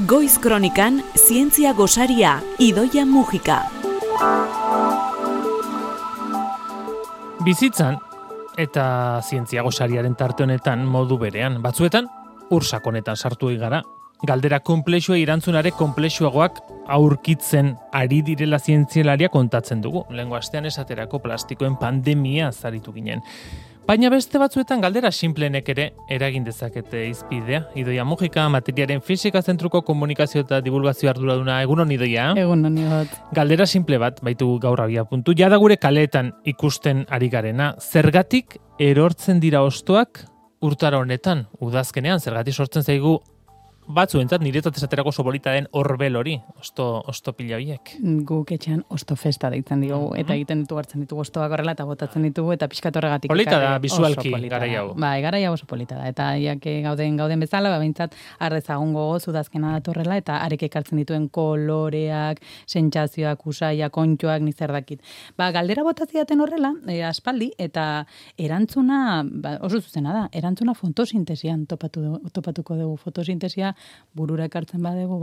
Goiz Kronikan, zientzia gosaria, Idoia Mujika. Bizitzan eta zientzia gosariaren tarte honetan modu berean, batzuetan ursakonetan sartu gara. Galdera konplexua irantzunare konplexuagoak aurkitzen ari direla zientzialaria kontatzen dugu. Lehengo astean esaterako plastikoen pandemia zaritu ginen. Baina beste batzuetan galdera simplenek ere eragin dezakete izpidea. Idoia Mujika, materiaren fisika zentruko komunikazio eta divulgazio arduraduna. Egunon, Idoia? Egunon, Igot. Galdera simple bat baitu gaur abia puntu. Jada gure kaleetan ikusten ari garena. Zergatik erortzen dira hostoak urtaro honetan? Udazkenean, zergatik sortzen zaigu batzuentzat niretzat esaterako oso polita den orbel hori, osto pila biek. Guk etxean osto festa deitzen diogu, eta egiten hartzen ditugu ostoak horrela, eta botatzen ditugu, eta pixkat horregatik. Polita da, bisualki, garai hau. Bai, garai hau oso polita da, eta iake gauden bezala, behintzat, arrezagun gogoz, udazkena datorrela, eta arek ekartzen dituen koloreak, sentsazioak, usaiak, kontxoak, nizer dakit. Galdera botatziaten horrela, aspaldi, eta erantzuna, oso zuzena da, erantzuna fotosintesian topatuko dugu. Fotosintesia burura ekartzen badegu,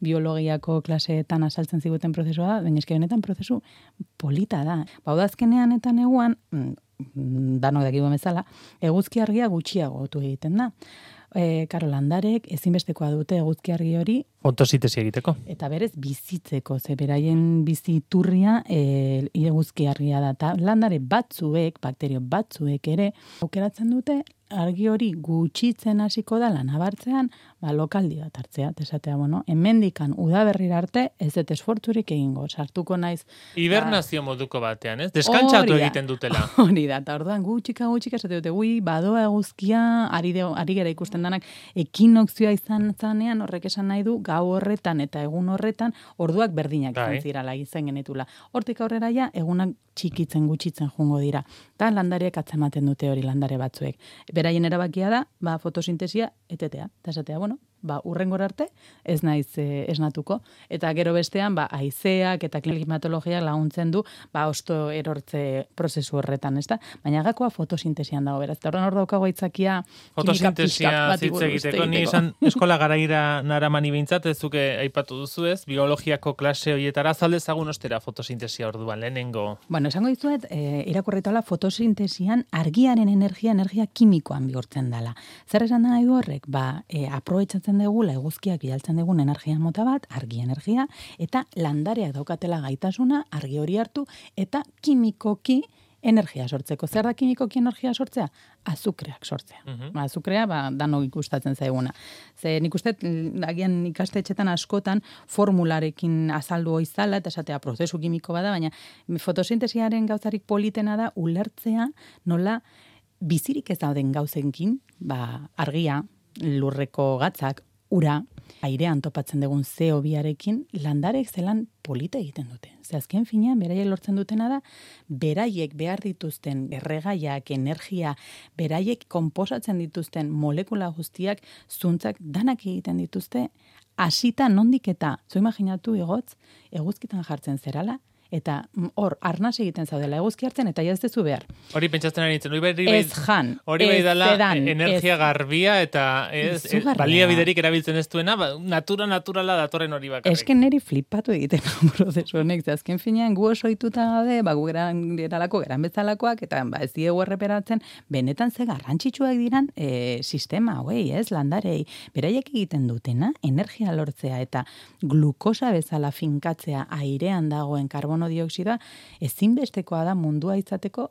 biologiako klaseetan azaltzen ziguten prozesua da, baina eske benetan prozesu polita da. Udazkenean eta neguan, danok dakigu bezala, eguzki argia gutxiagotu egiten da. Landarek ezinbestekoa dute eguzki argi hori fotosintesia egiteko. Eta berez bizitzeko, ze beraien biziturria eguzki argia da. Ta landare batzuek, bakterio batzuek ere, aukeratzen dute argi hori gutxitzen hasiko da nabartzean, lokaldi bat hartzea, esatea, hemendikan udaberrira arte ez dut esfortzurik egingo, sartuko naiz. Hibernazio moduko batean, ez? Deskantsatu egiten dutela. Hori da, eta orduan gutxika esate dute, badoa eguzkia, ari gera ikusten danak, ekinokzioa izan zanean, horrek esan nahi du, gau horretan eta egun horretan, orduak berdinak izan zirala, izan genetula. Hortik aurrera ja, egunak txikitzen gutxitzen jungo dira. Eta landareak atzematen dute hori landare batzuek. Beraien erabakia da, fotosintesia etetea. Eta esatea, urrengora arte ez naiz esnatuko. Eta gero bestean, haizeak eta klimatologiak laguntzen du, osto erortze prozesu horretan, ez da? Baina gakoa fotosintesian dago, beraz. Eta horren hor daukago aitzakia fotosintesia zitze egiteko. Ni esan eskola garaira naramani behintzat, ez zuke aipatu duzu ez, biologiako klase horietara zaldezagun ostera fotosintesia orduan, lehenengo. Esango dizuet, irakurritala fotosintesian argiaren energia kimikoan bihurtzen dela. Zer esan nahi du horrek? Aprobetxatzen dugula eguzkiak bidaltzen dugun energia mota bat, argi energia, eta landareak daukatela gaitasuna argi hori hartu, eta kimikoki energia sortzeko. Zer da kimikoki energia sortzea? Azukreak sortzea. Azukrea, danok ikustatzen zaiguna. Ze nik uste, agian ikastetxetan askotan formularekin azaldu oizala, eta esatea prozesu kimiko bada, baina fotosintesiaren gauzarik politena da ulertzea nola bizirik ez dauden gauzenkin, argia, lurreko gatzak, ura, airean topatzen dugun CO2arekin, landarek zelan polita egiten dute. Ze azken finean, beraiek lortzen dutena da, beraiek behar dituzten erregaiak, energia, beraiek konposatzen dituzten molekula guztiak, zuntzak danak egiten dituzte, hasita nondik eta, zo imaginatu igotz, eguzkitan jartzen zerala, eta hor, arnaz egiten zaudela eguzki hartzen, eta ez dezu behar. Hori pentsatzen ari nintzen. Ez jan, hori dela energia garbia, eta baliabiderik erabiltzen ez duena, naturala datorren hori bakarrik. Esken neri flipatu egiten prozesu honek, azken finean gu oso ituta gaude, gu geran bezalakoak, eta ez diegu erreperatzen, benetan ze garrantzitsuak diran sistema, landarei, beraiek egiten dutena, energia lortzea, eta glukosa bezala finkatzea airean dagoen karbono dioksidoa, ezinbestekoa da mundua izateko,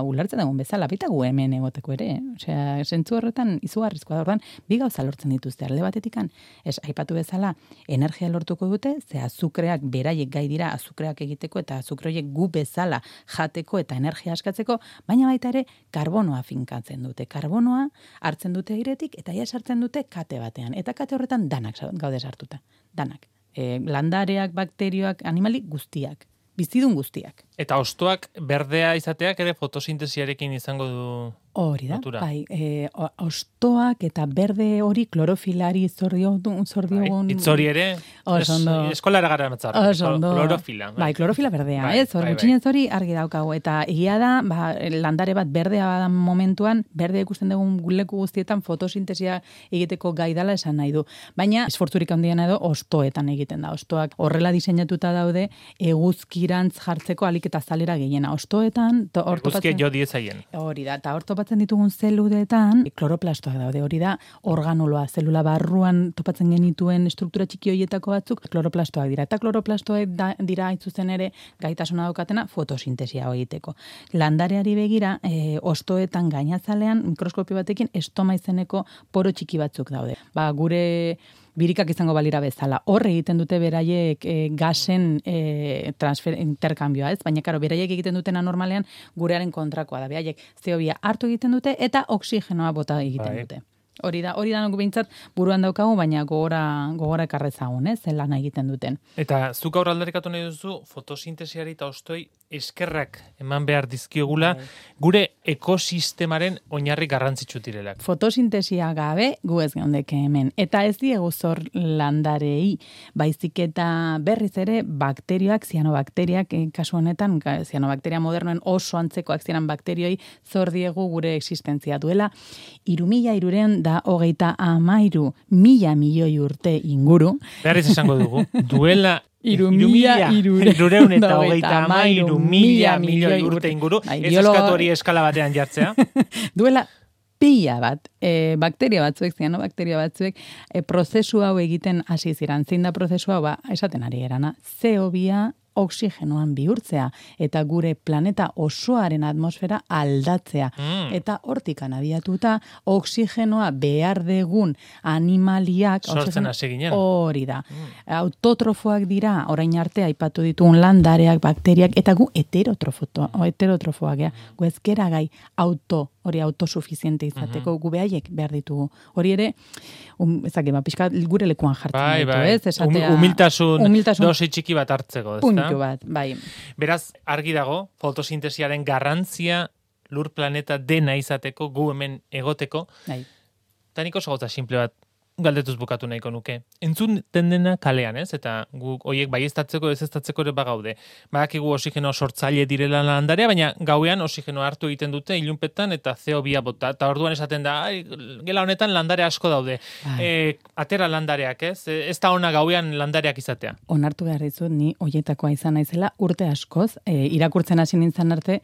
ulertzen dagoen bezala, baita gu hemen egoteko ere. Osea, zentzu horretan izugarrizkoa da, orduan, bi gauza lortzen dituzte alde batetikan. Aipatu bezala, energia lortuko dute, ze azukreak beraiek gai dira azukreak egiteko, eta azukroiek gu bezala jateko eta energia askatzeko, baina baita ere, karbonoa finkatzen dute. Karbonoa hartzen dute airetik, eta ia sartzen dute kate batean. Eta kate horretan danak gaude sartuta. Danak. Landareak, bakterioak, animali guztiak. bizidun guztiak. Eta hostoak berdea izateak ere fotosintesiarekin izango du hori da, natura. bai, hostoak eta berde hori klorofilari zordiogun. Itzori ere, eskolara gara matzar, klorofila. Bai, klorofila berdea, bai, ez? Hor gutxinez hori argi daukagu. Eta egia da, landare bat berdea da momentuan, berdea ikusten dugun leku guztietan fotosintesia egiteko gai dela esan nahi du. Baina, esfortzurik handiena edo, hostoetan egiten da. Hostoak horrela diseinatuta daude, eguzkirantz jartzeko alik eta zalera gehiena. Hostoetan, eguzkia jo diezaien. Hori da, eta hor topatzen ditugun zeludetan, kloroplastoak daude, hori da, organuloa, zelula barruan topatzen genituen struktura txiki horietako batzuk, kloroplastoak dira. Eta kloroplastoak dira haitzuzen ere gaitasuna daukatena fotosintesia egiteko. Landareari begira, hostoetan gainazalean, mikroskopio batekin, estoma izeneko poro txiki batzuk daude. Gure birikak izango balira bezala. Hor egiten dute beraiek gasen interkambioa, ez? Baina, karo, beraiek egiten dutena normalean gurearen kontrakoa da. Beraiek CO2 hartu egiten dute eta oksigenoa bota egiten dute. Hori da nugu behintzat buruan daukagu, baina gogora ekarrezagun, ez? Lana egiten duten. Eta zuk aurra aldarikatu nahi duzu, fotosintesiari eta hostoi eskerrak eman behar dizkiogula, gure ekosistemaren oinarri garrantzitsu direlak. Fotosintesia gabe, gu ez geundeke hemen. Eta ez diegu zor landarei, baizik eta berriz ere bakterioak, zianobakteriak, kasu honetan, zianobakteria modernoen oso antzekoak zianan bakterioi, zor diegu gure existentzia duela. 3.300 da 33.000 milioi urte inguru. Berriz esango dugu, duela 3.300 eta 33.000 milioi urte inguru, ez eskatu hori eskala batean jartzea. Duela pila bat, bakteria batzuek, zianobakteria batzuek, prozesu hau egiten hasi ziren. Zein da prozesu hau, esaten ari erana, CO2 oksigenoan bihurtzea, eta gure planeta osoaren atmosfera aldatzea. Eta hortikan abiatuta, oksigenoa behar degun animaliak... Sortzen hasi ginen. Hori da. Autotrofoak dira, orain arte aipatu ditugun landareak, bakteriak, eta gu heterotrofoak, gu ezkera gai hori autosuficiente izateko, gu behaiek behar ditugu. Hori ere, pixka gure lekuan jartzen ditu, ez? Esatea, humiltasun dosi txiki bat hartzeko, ez da? Puntu bat, bai. Beraz, argi dago, fotosintesiaren garrantzia lur planeta dena izateko, gu hemen egoteko. Bai. Eta nik oso gauza simple bat galdetuz bukatu nahiko nuke. Entzun dena kalean, ez? Eta guk hoiek baieztatzeko, ezeztatzeko ere bagaude. Badakigu oxigeno sortzaile direla landarea, baina gauean oxigeno hartu egiten dute ilunpetan eta CO2 bota. Eta orduan esaten da, gela honetan landare asko daude. Atera landareak, ez? Ez da ona gauean landareak izatea. Onartu behar dizut, ni hoietakoa izan naizela urte askoz, irakurtzen hasi nintzen arte,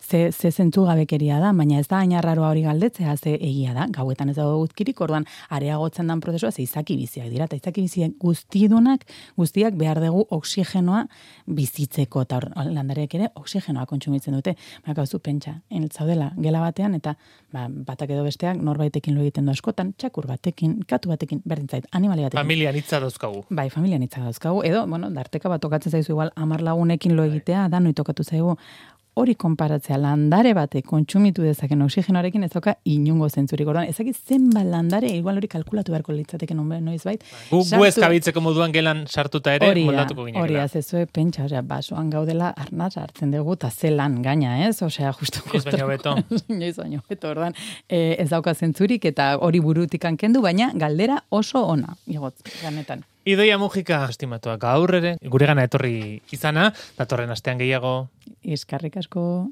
ze zentzu gabekeria da, baina ez da ainarraroa hori galdetzea, ze egia da, gauetan ez dago guzkirik, orduan areagotzen dan prozesua, ze izaki biziak dira, eta izaki biziak guztiak behar dugu oksigenoa bizitzeko, eta landareek ere oksigenoa kontsumitzen dute. Gauzu pentsa, zaudela gela batean, eta batak edo besteak norbaitekin lo egiten du askotan, txakur batekin, katu batekin, berdin zait, animali batekin. Familian hitza dauzkagu. Bai, familian hitza dauzkagu, edo, darteka bat tokatzen zaizu igual 10 lagunekin lo egitea, danoi tokatu zaigu. Hori konparatzea landare batek kontsumitu dezaken oksigenoarekin ez dauka inungo zentzurik. Orduan, ezakit zenbat landare, igual hori kalkulatu beharko litzateke noizbait. Gu ez kabitzeko moduan gelan sartuta ere moldatuko ginekela. Hori azezue pentsa, basoan gaudela arnaz hartzen dugu eta zelan gaina, ez? Osea, justu. Ez baino beto. Ez baino beto, orduan, ez dauka zentzurik eta hori burutikan kendu, baina galdera oso ona, igotz, ganetan. Idoia Mujika, estimatuak gaur ere, gure gana etorri izana, datorren astean gehiago. Eskerrik asko.